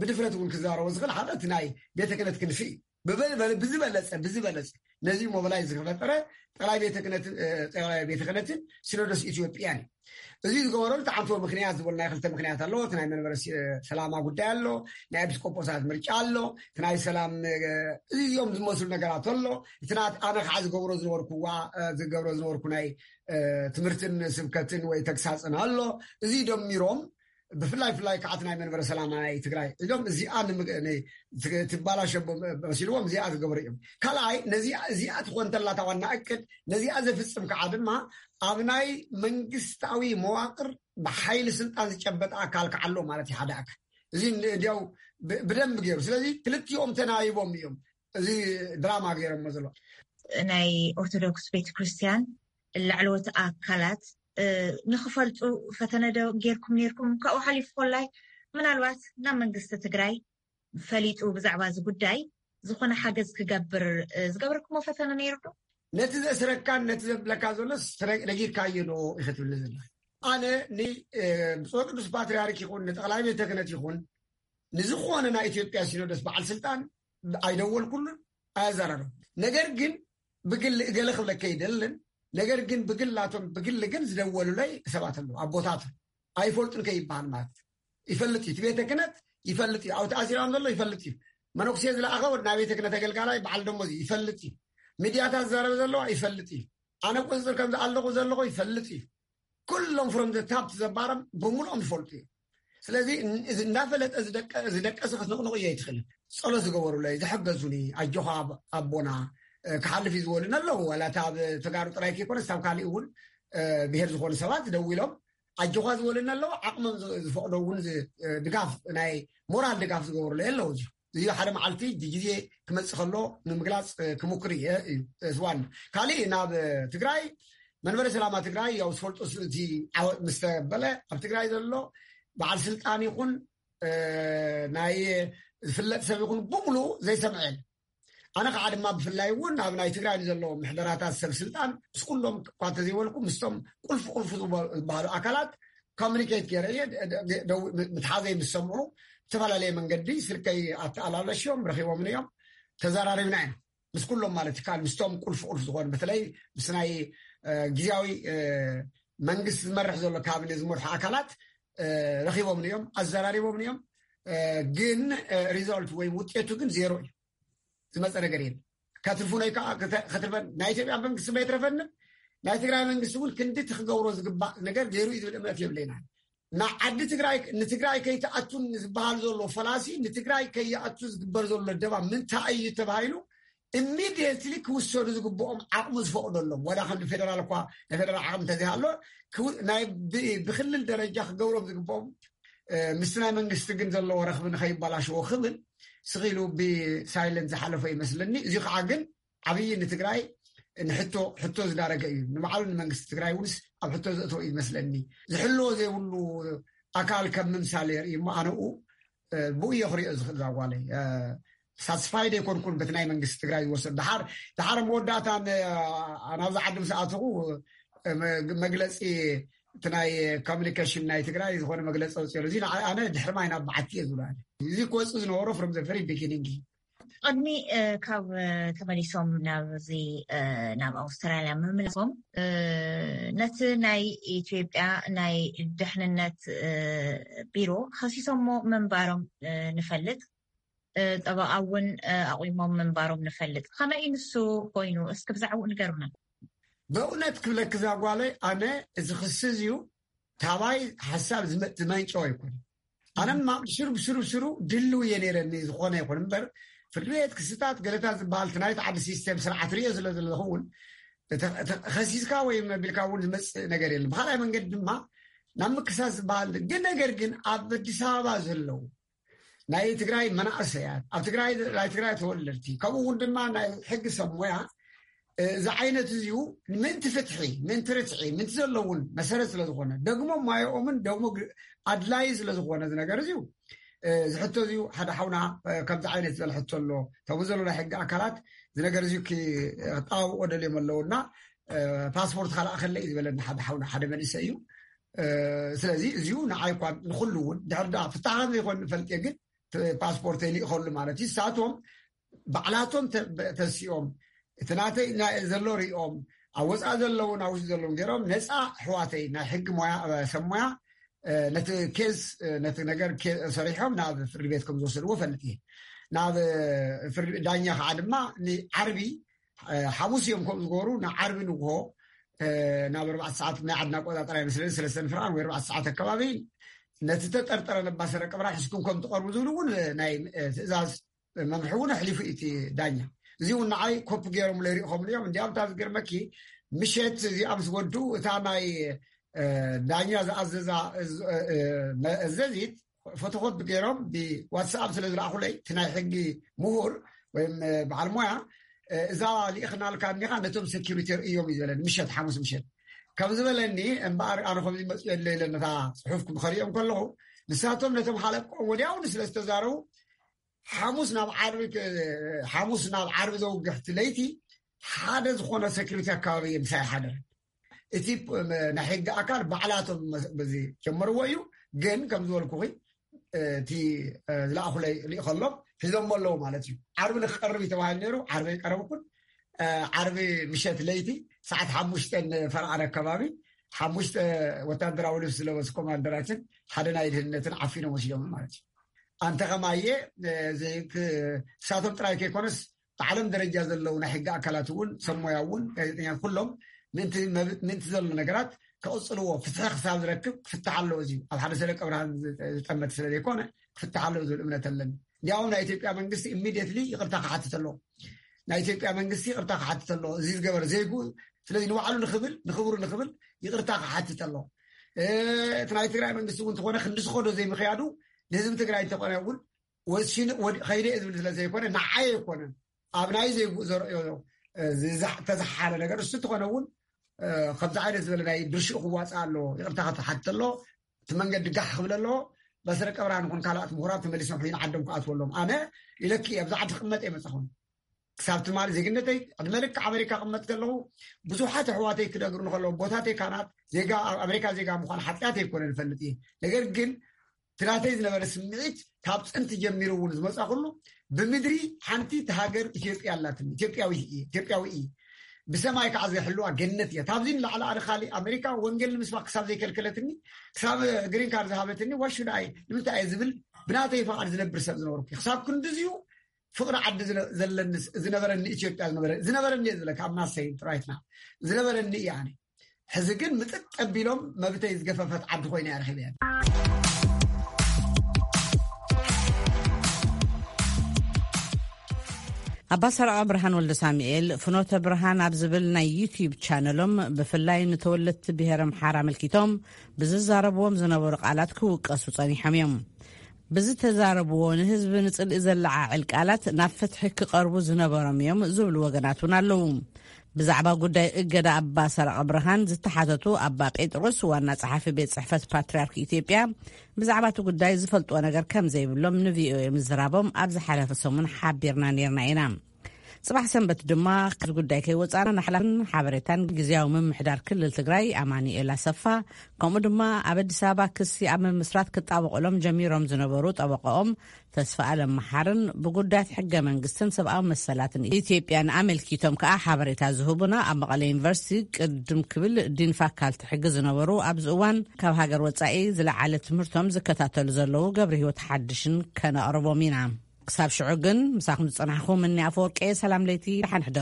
ብድፍረት እውን ክዛረቦ ዝኽእል ሓደ እቲ ናይ ቤተ ክህነት ክንፊ እዩ። ብዝበለፀ ብዝበለፀ ነዚ ሞባላይዝ ዝፈጠረ ጠቅላይ ቤተ ክህነትን ሲኖዶስ ኢትዮጵያን እዩ። እዚ ዝገበረሉ ተዓንቶ ምክንያት ዝበሉ ናይ ክልተ ምክንያት ኣለዎ። እቲ ናይ መንበረ ሰላማ ጉዳይ ኣሎ፣ ናይ ኤጲስቆጶሳት ምርጫ ኣሎ፣ እቲ ናይ ሰላም እዚኦም ዝመስሉ ነገራት ኣሎ። እቲ ናት ኣነ ከዓ ዝገብሮ ዝነበርኩዋ ዝገብሮ ዝነበርኩ ናይ ትምህርትን ስብከትን ወይ ተግሳፅን ኣሎ። እዚ ደሚሮም ብፍላይ ፍላይ ከዓት ናይ መንበረ ሰላማ ናይ ትግራይ ኢሎም እዚኣ ትባላሸ መሲልዎም እዚኣ ዝገብሩ እዮም። ካልኣይ ነዚኣ እዚኣ ትኾን ተላታ ዋና እቅድ ነዚኣ ዘፍፅም ከዓ ድማ ኣብ ናይ መንግስታዊ መዋቅር ብሓይሊ ስልጣን ዝጨበጠ ኣካል ከዓሎ ማለት እዩ ሓደ ኣካል እዚ እንዲያው ብደንብ ገይሩ። ስለዚ ክልቲኦም ተናይቦም እዮም እዚ ድራማ ገይሮሞ ዘሎ። ናይ ኦርቶዶክስ ቤተክርስትያን ላዕለዎት ኣካላት ንክፈልጡ ፈተነ ዶ ጌርኩም ኔርኩም? ካብኡ ሓሊፉ ኮላይ ምናልባት ናብ መንግስቲ ትግራይ ፈሊጡ ብዛዕባ እዚ ጉዳይ ዝኾነ ሓገዝ ክገብር ዝገበርኩሞ ፈተነ ነይሩ ዶ? ነቲ ዘእስረካን ነቲ ዘብለካ ዘሎስ ነጊርካዮ ዶ ኢኸትብልኒ ዘላ? ኣነ ንብፁዕ ቅዱስ ፓትርያርክ ይኹን ንጠቕላይ ቤተ ክህነት ይኹን ንዝኾነ ናይ ኢትዮጵያ ሲኖዶስ በዓል ስልጣን ኣይደወልኩሉን ኣያዘራረቡ። ነገር ግን ብግል እገለ ክብለከ ይደልን ነገር ግን ብግላቶም ብግል ግን ዝደወሉለይ ሰባት ኣለዉ። ኣቦታት ኣይፈልጡን ከይበሃል ማለት ይፈልጥ እዩ። እቲ ቤተ ክህነት ይፈልጥ እዩ። ኣብቲ ኣሲሮም ዘሎ ይፈልጥ እዩ። መነኩሴ ዝለኣኸ ወድ ናይ ቤተ ክህነት ኣገልጋላይ በዓል ደሞዝ ይፈልጥ እዩ። ሚድያታት ዝዛረበ ዘለዋ ይፈልጥ እዩ። ኣነ ቁፅፅር ከም ዝኣለኹ ዘለኹ ይፈልጥ እዩ። ኩሎም ፍሮም ዘታብቲ ዘባረም ብምልኦም ይፈልጡ እዩ። ስለዚ እንዳፈለጠ ዝደቀሰ ክትንቕንቕ እየ ኣይትኽእልን። ፀሎት ዝገበሩለይ ዝሐገዙኒ ኣጆኻ ኣቦና ክሓልፍ እዩ ዝበሉኒ ኣለዉ። ዋላ እታ ኣብ ተጋሩ ጥራይ ከይኮነስ ካብ ካሊእ እውን ብሄር ዝኾኑ ሰባት ደዊሎም ኣጆኻ ዝበሉኒ ኣለዉ። ዓቕሞም ዝፈቕዶ እውን ድጋፍ ናይ ሞራል ድጋፍ ዝገበሩለይ ኣለዉ። እዚ ሓደ መዓልቲ ግዜ ክመፅእ ከሎ ንምግላፅ ክምክር እየ እዩ ስዋን ካሊእ ናብ ትግራይ መንበረ ሰላማ ትግራይ ያው ዝፈልጦ እቲ ዓወት ምስ ተበለ ኣብ ትግራይ ዘሎ በዓል ስልጣን ይኹን ናይ ዝፍለጥ ሰብ ይኹን ብምሉ ዘይሰምዐ የለ። ኣነ ከዓ ድማ ብፍላይ እውን ኣብ ናይ ትግራይ ንዘለዎ ምሕደራታት ሰብ ስልጣን ምስ ኩሎም እኳ እንተዘይበልኩ ምስቶም ቁልፍ ቁልፍ ዝበሃሉ ኣካላት ኮሚኒኬት ገይረ እየ። ምትሓዘይ ምስ ሰምዑ ዝተፈላለየ መንገዲ ስልከይ ኣተኣላለሽዮም ረኪቦምን እዮም ተዘራሪብና እዮም ምስ ኩሎም ማለት ይከኣል ምስቶም ቁልፍ ቁልፍ ዝኾኑ በተለይ ምስ ናይ ግዜያዊ መንግስቲ ዝመርሕ ዘሎ ካቢነ ዝመርሑ ኣካላት ረኪቦምን እዮም ኣዘራሪቦምን እዮም። ግን ሪዛልት ወይ ውጤቱ ግን ዜሮ እዩ። ዝመፀ ነገር የለ። ከትርፉ ናይ ከዓ ከትርፈን ናይ ኢትዮጵያ መንግስቲ መይትረፈንን ናይ ትግራይ መንግስቲ እውን ክንዲ ትክገብሮ ዝግባእ ነገር ገይሩ እዩ ዝብል እምነት የብለይና። ንዓዲ ትግራይ ንትግራይ ከይትኣቱን ዝበሃል ዘሎ ፈላሲ ንትግራይ ከይኣቱ ዝግበር ዘሎ ደባ ምንታይ እዩ ተባሂሉ ኢሚድየትሊ ክውሰዱ ዝግብኦም ዓቕሙ ዝፈቕደሎም ዋላ ከም ፌደራል እኳ ናይ ፌደራል ዓቕሚ እንተዘይሃሎ ብክልል ደረጃ ክገብሮም ዝግብኦም ምስቲ ናይ መንግስቲ ግን ዘለዎ ረኽቢ ንኸይባላሽዎ ክብል ስኺሉ ብሳይለንት ዝሓለፎ ይመስለኒ። እዚ ከዓ ግን ዓብዪ ንትግራይ ንሕቶ ሕቶ ዝዳረገ እዩ። ንባዕሉ ንመንግስቲ ትግራይ ውንስ ኣብ ሕቶ ዘእተው እዩ ይመስለኒ። ዝሕልዎ ዘይብሉ ኣካል ከም ምምሳል የርኢ እሞ ኣነኡ ብኡ እየ ክሪኦ ዝኽእል ዛጓለይ ሳትስፋይድ ኣይኮንኩን በቲ ናይ መንግስቲ ትግራይ ዝወሰድ ድሓር ድሓር መወዳእታ ናብዚ ዓዲ ምስ ኣተኹ መግለፂ እቲ ናይ ኮሚኒኬሽን ናይ ትግራይ ዝኾነ መግለፂ ኣውፅኦ እዚ ንዓይ ኣነ ድሕሪ ማይ ናብ በዓቲ እየ ዝብሎ። እዚ ክወፅእ ዝነበሮ ፍሮም ዘ ቨሪ ቢጊኒንግ እዩ። ቅድሚ ካብ ተመሊሶም ናብዚ ናብ ኣውስትራልያ ምምላሶም፣ ነቲ ናይ ኢትዮጵያ ናይ ድሕንነት ቢሮ ከሲሶሞ ምንባሮም ንፈልጥ። ጠበቓ እውን ኣቑሞም ምንባሮም ንፈልጥ። ከመይ ንሱ ኮይኑ? እስኪ ብዛዕባኡ ንገሩና። በእውነት ክብለኪ እዛ ጓለይ፣ ኣነ እዚ ክሲ እዚዩ ታባይ ሓሳብ ዝመንጨው ኣይኮነ። ኣነማ ብስሩ ብስሩ ብስሩ ድልው እየ ነይረኒ፣ ዝኾነ ይኹን እምበር፣ ፍርዲ ቤት ክስታት ገለታት ዝበሃል እቲ ናይቲ ዓዲ ሲስተም ስርዓት ሪኦ ስለ ዘለኹ እውን፣ ከሲስካ ወይ መቢልካ እውን ዝመፅእ ነገር የለን። ብካልኣይ መንገዲ ድማ ናብ ምክሳስ ዝበሃል ግን፣ ነገር ግን ኣብ ኣዲስ ኣበባ ዘለዉ ናይ ትግራይ መናእሰያት፣ ኣብ ትግራይ ናይ ትግራይ ተወለድቲ፣ ከምኡ እውን ድማ ናይ ሕጊ ሰብ ሞያ፣ እዚ ዓይነት እዚዩ ምእንቲ ፍትሒ፣ ምእንቲ ርትዒ፣ ምእንቲ ዘለውን መሰረት ስለ ዝኾነ፣ ደግሞ ማየኦምን ደግሞ ኣድላይ ስለ ዝኾነ፣ እዚ ነገር እዚዩ፣ እዚ ሕቶ እዚዩ ሓደ ሓውና ከምዚ ዓይነት ዝበለ ሕቶ ኣሎ። እቶም ዘሎ ናይ ሕጊ ኣካላት እዚ ነገር እዚዩ ክጣባብቆ ደልዮም ኣለውና፣ ፓስፖርት ካልኣኸለይ ዝበለኒ ሓደ ሓውና፣ ሓደ መንእሰይ እዩ። ስለዚ እዚዩ ንዓይ እኳ ንኩሉ እውን ድሕር ዳ ፍታሕ ከም ዘይኮን ንፈልጥ እየ፣ ግን ፓስፖርተይ ልኢኸሉ ማለት እዩ። ንሳቶም ባዕላቶም ተሲኦም እቲ ናተይ ዘሎ ሪኦም፣ ኣብ ወፃኢ ዘለውን ኣብ ውሽጢ ዘለውን ገይሮም፣ ነፃ ኣሕዋተይ ናይ ሕጊ ሞያ፣ ሰብ ሞያ፣ ነቲ ኬዝ፣ ነቲ ነገር ሰሪሖም ናብ ፍርዲ ቤት ከም ዝወሰድዎ ፈልጥ እየ። ናብ ዳኛ ከዓ ድማ ንዓርቢ፣ ሓሙስ እዮም ከም ዝገበሩ፣ ንዓርቢ ንግሆ ናብ ኣርባዕተ ሰዓት ናይ ዓድና ኣቆፃፅራ ይመስለኒ፣ ሰለስተ ንፍርቓን ወይ ኣርባዕተ ሰዓት ኣከባቢ፣ ነቲ ተጠርጠረ ነባሰረ ቀብራ ሒዝኩም ከም ትቐርቡ ዝብል እውን ናይ ትእዛዝ መምርሒ እውን ኣሕሊፉ እቲ ዳኛ። እዚ እውን ንዓይ ኮፒ ገይሮም ለይሪእኹም እዮም። እንዲያውም እታ ዝገርመኪ፣ ምሸት እዚኣ ምስ ወዱ እታ ናይ ዳኛ ዝኣዘዛ መእዘዚት ፎቶኮፒ ገይሮም ብዋትስኣፕ ስለ ዝለኣኹለይ፣ እቲ ናይ ሕጊ ምሁር ወይም በዓል ሞያ፣ እዛ ልኢኽናልካ እኒኻ ነቶም ሴኪሪቲ ርእዮም እዩ ዝበለኒ፣ ምሸት ሓሙስ ምሸት ከም ዝበለኒ። እምበኣር ኣነ ከምዚ መፅኡ የለ ኢለ ነታ ፅሑፍ ክኸሪኦም ከለኹ፣ ንሳቶም ነቶም ሓለቆም ወዲያውኑ ስለ ዝተዛረቡ፣ ሓሙስ ናብ ዓርቢ ሓሙስ ናብ ዓርቢ ዘውግሕቲ ለይቲ ሓደ ዝኾነ ሴኪሪቲ ኣከባቢ ምሳይ ሓደረ። እቲ ናይ ሕጊ ኣካል ባዕላቶም በዚ ጀመርዎ እዩ። ግን ከም ዝበልኩኺ፣ እቲ ዝለኣኹለይ ርኢ ከሎም ሒዞሞ ኣለዉ ማለት እዩ። ዓርቢ ንክቀርብ እዩ ተባሂሉ ነይሩ። ዓርቢ ኣይቀረብኩን። ዓርቢ ምሸት ለይቲ ሰዓት ሓሙሽተ ፈርቓን ኣከባቢ፣ ሓሙሽተ ወታደራዊ ልብሲ ዝለበሱ ኮማንደራችን ሓደ ናይ ድህነትን ዓፊኖም ወሲዶም ማለት እዩ። ኣንተ ከማየ፣ ንሳቶም ጥራይ ከይኮነስ ብዓለም ደረጃ ዘለዉ ናይ ሕጊ ኣካላት እውን፣ ሰብ ሞያ እውን፣ ጋዜጠኛት ኩሎም ምእንቲ ዘሎ ነገራት ከቕፅልዎ፣ ፍትሒ ክሳብ ዝረክብ ክፍታሕ ኣለዎ። እዚ ኣብ ሓደ ሰለ ቀብርሃን ዝጠመት ስለ ዘይኮነ ክፍታሕ ኣለዎ ዝብል እምነት ኣለኒ። እንዲያውም ናይ ኢትዮጵያ መንግስቲ ኢሚድየትሊ ይቕርታ ክሓትት ኣለዎ። ናይ ኢትዮጵያ መንግስቲ ይቕርታ ክሓትት ኣለዎ፣ እዚ ዝገበረ ዘይግኡ። ስለዚ ንባዕሉ ንክብል፣ ንክብሩ ንክብል ይቕርታ ክሓትት ኣለዎ። እቲ ናይ ትግራይ መንግስቲ እውን እንተኾነ ክንዲ ዝኸዶ ዘይምክያዱ ንህዝቢ ትግራይ እንተኾነ እውን ወሲኑ ከይደ ዝብል ስለ ዘይኮነ፣ ንዓይ ኣይኮነን፣ ኣብ ናይ ዘይግኡ ዘርእዮ ተዝሓለ ነገር እሱ እንተኾነ እውን ከምዚ ዓይነት ዝበለ ናይ ድርሽኡ ክዋፅእ ኣለዎ። ይቕርታ ክትሓትት ኣለዎ። እቲ መንገዲ ጋሕ ክብል ኣለዎ። በስረ ቀብራ ንኹን ካልኣት ምሁራት ተመሊሶም ሕይን ዓዶም ክኣትወሎም። ኣነ ኢለኪ ኣብዚ ዓዲ ክቕመጥ እየ መፃኹም። ክሳብ ትማሊ ዜግነተይ ዕድመ ልክዕ ኣሜሪካ ክቕመጥ ከለኹ ብዙሓት ኣሕዋተይ ክነግሩ ንከለዉ ቦታተይ ካናት ዜጋ ኣብ ኣሜሪካ ዜጋ ምዃን ሓጢኣት ኣይኮነ ንፈልጥ እየ። ነገር ግን እቲ ናተይ ዝነበረ ስምዒት ካብ ጥንቲ ጀሚሩ እውን ዝመፃ ኩሉ ብምድሪ ሓንቲ እቲ ሃገር ኢትዮጵያ ኣላትኒ። ኢትዮጵያዊ እየ፣ ኢትዮጵያዊ እየ። ብሰማይ ከዓ ዝሕልዋ ገነት እያ። ካብዚ ንላዕሊ ኣነ ካሊእ ኣሜሪካ ወንጌል ንምስባክ ክሳብ ዘይከልከለትኒ፣ ክሳብ ግሪን ካርድ ዝሃበትኒ ዋሹዳይ ንምንታይ እየ ዝብል ብናተይ ፈቓድ ዝነብር ሰብ ዝነበርኩ። ክሳብ ክንድዚዩ ፍቕሪ ዓዲ ዝነ- ዘለኒ ዝነበረኒ ኢትዮጵያ ዝነበረ ዝነበረኒ እየ ዝብለካ ኣብ ማሰይ ራይትና ዝነበረኒ እየ ኣነ። ሕዚ ግን ምጥጥ ኣቢሎም መብተይ ዝገፈፈት ዓዲ ኮይና እያ ረኺበያ። ኣባ ሰረቐ ብርሃን ወልደ ሳሙኤል ፍኖተ ብርሃን ኣብ ዝብል ናይ ዩትዩብ ቻነሎም ብፍላይ ንተወለድቲ ብሄር ኣምሓራ ኣመልኪቶም ብዝዛረብዎም ዝነበሩ ቃላት ክውቀሱ ጸኒሖም እዮም። ብዝተዛረብዎ ንህዝቢ ንጽልኢ ዘለዓዕል ቃላት ናብ ፍትሒ ክቐርቡ ዝነበሮም እዮም ዝብሉ ወገናት እውን ኣለዉ። ብዛዕባ ጉዳይ እገዳ ኣባ ሰረቐ ብርሃን ዝተሓተቱ ኣባ ጴጥሮስ ዋና ጸሓፊ ቤት ጽሕፈት ፓትርያርክ ኢትዮጵያ ብዛዕባ እቲ ጉዳይ ዝፈልጥዎ ነገር ከም ዘይብሎም ንቪኦኤ ምዝራቦም ኣብ ዝሓለፈ ሰሙን ሓቢርና ነይርና ኢና። ጽባሕ ሰንበት ድማ፣ ካብዚ ጉዳይ ከይወጻና፣ ናሕላፍን ሓበሬታን ግዝያዊ ምምሕዳር ክልል ትግራይ ኣማኑኤል ኣሰፋ፣ ከምኡ ድማ ኣብ ኣዲስ ኣበባ ክሲ ኣብ ምምስራት ክጣበቑሎም ጀሚሮም ዝነበሩ ጠበቃኦም ተስፋ ኣለም መሓርን ብጉዳያት ሕገ መንግስትን ሰብኣዊ መሰላትን ኢትዮጵያን ኣመልኪቶም ከኣ ሓበሬታ ዝህቡና ኣብ መቐለ ዩኒቨርሲቲ ቅድም ክብል ዲን ፋካልቲ ሕጊ ዝነበሩ፣ ኣብዚ እዋን ካብ ሃገር ወጻኢ ዝለዓለ ትምህርቶም ዝከታተሉ ዘለዉ ገብረ ህይወት ሓድሽን ከነቕርቦም ኢና። ክሳብ ሽዑ ግን ምሳኹም ዝጸናሕኹ ምኒ ኣፈወርቂ፣ ሰላም ለይቲ፣ ደሓን ሕደሩ።